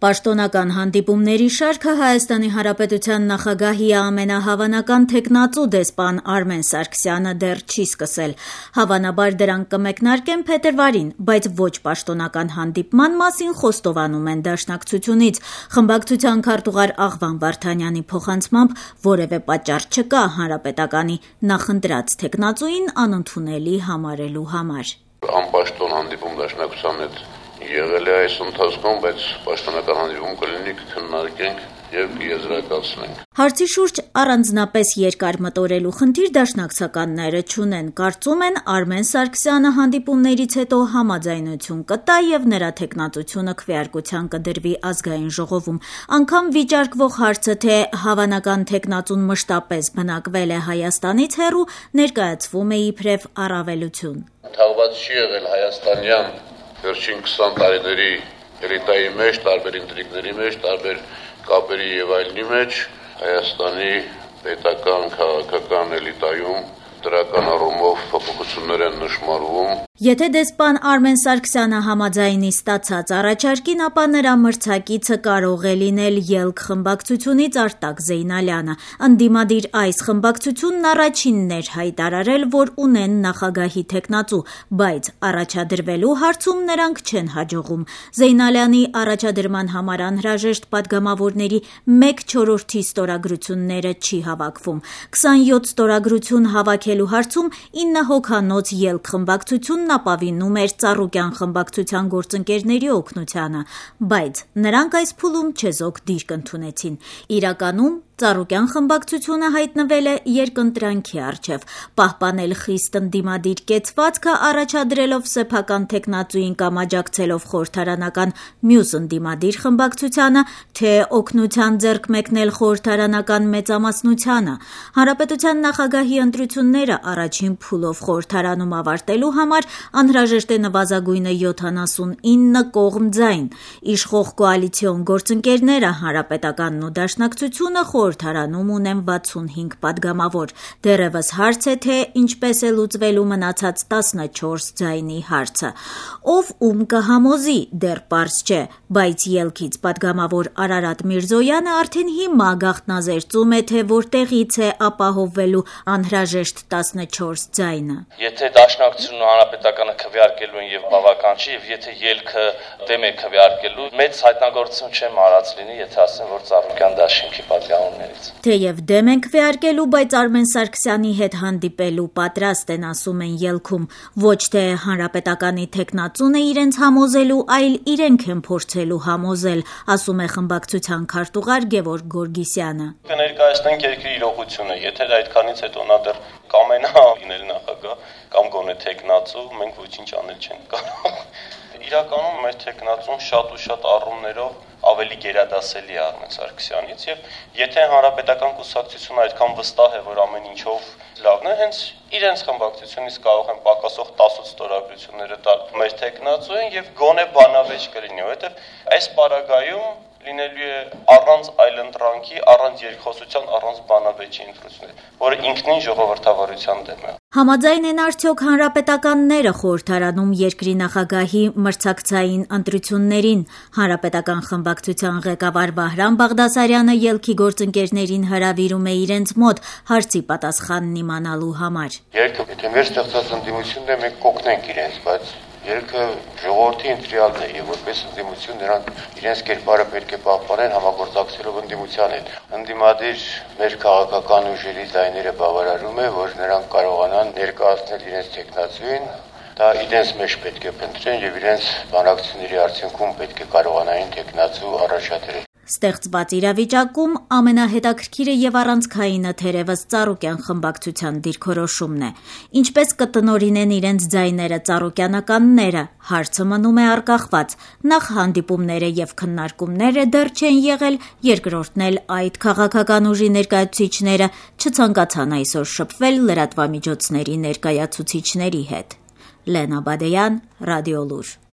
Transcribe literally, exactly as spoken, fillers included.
Պաշտոնական հանդիպումների շարքը Հայաստանի Հանրապետության նախագահի ամենահավանական թեկնածու դեսպան Արմեն Սարգսյանը դեռ չի սկսել։ Հավանաբար դրանք կմեկնարկեն փետրվարին, բայց ոչ պաշտոնական հանդիպման մասին խոստովանում են դաշնակցությունից։ Խմբակցության քարտուղար Աղվան Վարդանյանի փոխանցմամբ որևէ պատճառ չկա հանրապետականի նախընտրած թեկնածուին անընդունելի համարելու համար։ Անպաշտոն հանդիպում դաշնակցության հետ եղել է այս ընթացքում, բայց պաշտոնական հանդիպում կլինի, կքննարկենք եւ եզրակացնենք։ Հարցի շուրջ առանձնապես երկար մտորելու խնդիր դաշնակցականները չունեն, կարծում են Արմեն Սարգսյանը հանդիպումներից հետո համաձայնություն կտա եւ նրա թեկնածությունը քվեարկության կդրվի ազգային ժողովում։ Անգամ վիճարկվող հարցը, թե հավանական թեկնածուն մշտապես բնակվել է Հայաստանից հեռու, ներկայացվում է իբրև առավելություն։ Թաղված չի եղել հայաստանյան վերջին քսան տարիների էլիտայի մեջ, տարբեր ինտրիգների մեջ, տարբեր կապերի եւ այլնի մեջ Հայաստանի պետական քաղաքական էլիտայում դրական առումով փոփոխություններ են նշմարվում։ Եթե դեսպան Արմեն Սարգսյանը համաձայնի ստացած առաջարկին, ապա նրա մրցակիցը կարող է լինել ԵԼՔ խմբակցությունից Արտակ Զեյնալյանը։ Ընդդիմադիր այս խմբակցությունն առաջինն էր հայտարարել, որ ունեն նախագահի թեկնածու, բայց առաջադրվելու հարցում նրանք չեն հաջողում։ Զեյնալյանի առաջադրման համար անհրաժեշտ падգամավորների մեկ չորրորդի ստորագրությունները չի հավաքվում։ քսանյոթ ստորագրություն հավաքելու հարցում ինը հոգանոց ԵԼՔ խմբակցությունն ապավինում էր Ծառուկյան խմբակցության գործընկերների օգնությանը, բայց նրանք այս փուլում չեզոք դիրք ընդունեցին։ Իրականում Ծառուկյան խմբակցությունը հայտնվել է երկընտրանքի առջև, պահպանել խիստ ընդդիմադիր կեցվածքը առաջադրելով սեփական թեկնածուին կամ աջակցելով խորհրդարանական մյուս ընդդիմադիր խմբակցությանը, թե օգնության ձեռք մեկնել խորհրդարանական մեծամասնությանը։ Հանրապետության նախագահի ընտրությունները առաջին փուլով խորհրդարանում ավարտելու համար անհրաժեշտ է նվազագույնը յոթանասունինը կողմ ձայն։ Իշխող կոալիցիոն գործընկերները Հանրապետականն ու Դաշնակցությունը խորհրդարանում ունեն վաթսունհինգ падգամավոր։ Դեռևս հարց է, թե ինչպես է լուծվելու մնացած տասնչորս ձայնի հարցը։ Ով ում կհամոզի, դեռ պարզ չէ, բայց ելքից падգամավոր Արարատ Միրզոյանը արդեն հիմա գաղտնազերծում է, թե որտեղից է ապահովվելու անհրաժեշտ տասնչորս ձայնը։ Եթե Դաշնակցությունն ու Հանրապետականը քվեարկելու են եւ բավական չի, եւ եթե ելքը դեմ է քվեարկելու, մեծ հայտնագործություն չեմ արած լինի, եթե ասեմ, որ Ծառուկյան դաշինքի падգամավորներից։ Թեև դեմ են քվեարկելու, բայց Արմեն Սարգսյանի հետ հանդիպելու պատրաստ են, ասում են ելքում։ Ոչ թե հանրապետականի թեկնածուն է իրենց համոզելու, այլ իրենք են փորձելու համոզել, ասում է խմբակցության քարտուղար Գևորգ Գորգիսյանը։ Կներկայացնենք երկրի իրողությունը, եթե այդքանից հետո նա դեռ կամենա լինել նախագահ կամ գոնե թեկնածու, մենք ոչինչ անել չենք կարող։ Իրականում մեր թեկնածուն շատ ու շատ առումներով ավելի գերադասելի է Արմեն Սարգսյանից եւ եթե հանրապետական կուսակցությունը այդքան վստահ է, որ ամեն ինչով լավն է, հենց իրենց խմբակցությունից կարող են պակասող տասոց ստորագրությունները տալ մեր թեկնածուին եւ գոնե բանավեճ կլինի, որովհետեւ այս պարագայում լինելու է առանց այլընտրանքի, առանց երկխոսության, առանց բանավեճի ընտրություններ, որը ինքնին ժողովրդավարության դեմ է։ Համաձայն են արդյոք հանրապետականները խորհրդարանում երկրի նախագահի մրցակցային ընտրություններին։ Հանրապետական խմբակցության ղեկավար Վահրամ Բաղդասարյանը ելքի գործընկերներին հրավիրում է իրենց մոտ հարցի պատասխանն իմանալու համար։ Ելքը, եթե մեր ստեղծած ընդդիմությունն է, մենք կօգնենք իրենց, բայց ելքը ժողովրդի ընտրյալն է եւ որպես ընդդիմություն նրանք իրենց կերպարը պետք է պահպանեն համագործակցելով ընդդիմության հետ։ Ընդդիմադիր մեր քաղաքական ուժերի ձայները բավարարում է, որ նրանք կարողանան ներկայացնել իրենց թեկնածուին, դա իրենց մեջ պետք է փնտրեն եւ իրենց բանակցությունների արդյունքում պետք է կարողանային թեկնածու առաջադրել։ Ստեղծված իրավիճակում ամենահետաքրքիրը եւ առանցքայինը թերևս Ծառուկյան խմբակցության դիրքորոշումն է։ Ինչպես կտնօրինեն իրենց ձայները ծառուկյանականները, հարցը մնում է արգախված։ Նախ հանդիպումները եւ քննարկումները դեռ չեն եղել, երկրորդն էլ այդ քաղաքական ուժի ներկայացուցիչները չցանկացան այսօր շփվել լրատվամիջոցների ներկայացուցիչների հետ։ Լենա Բադեյան, Ռադիոլուր։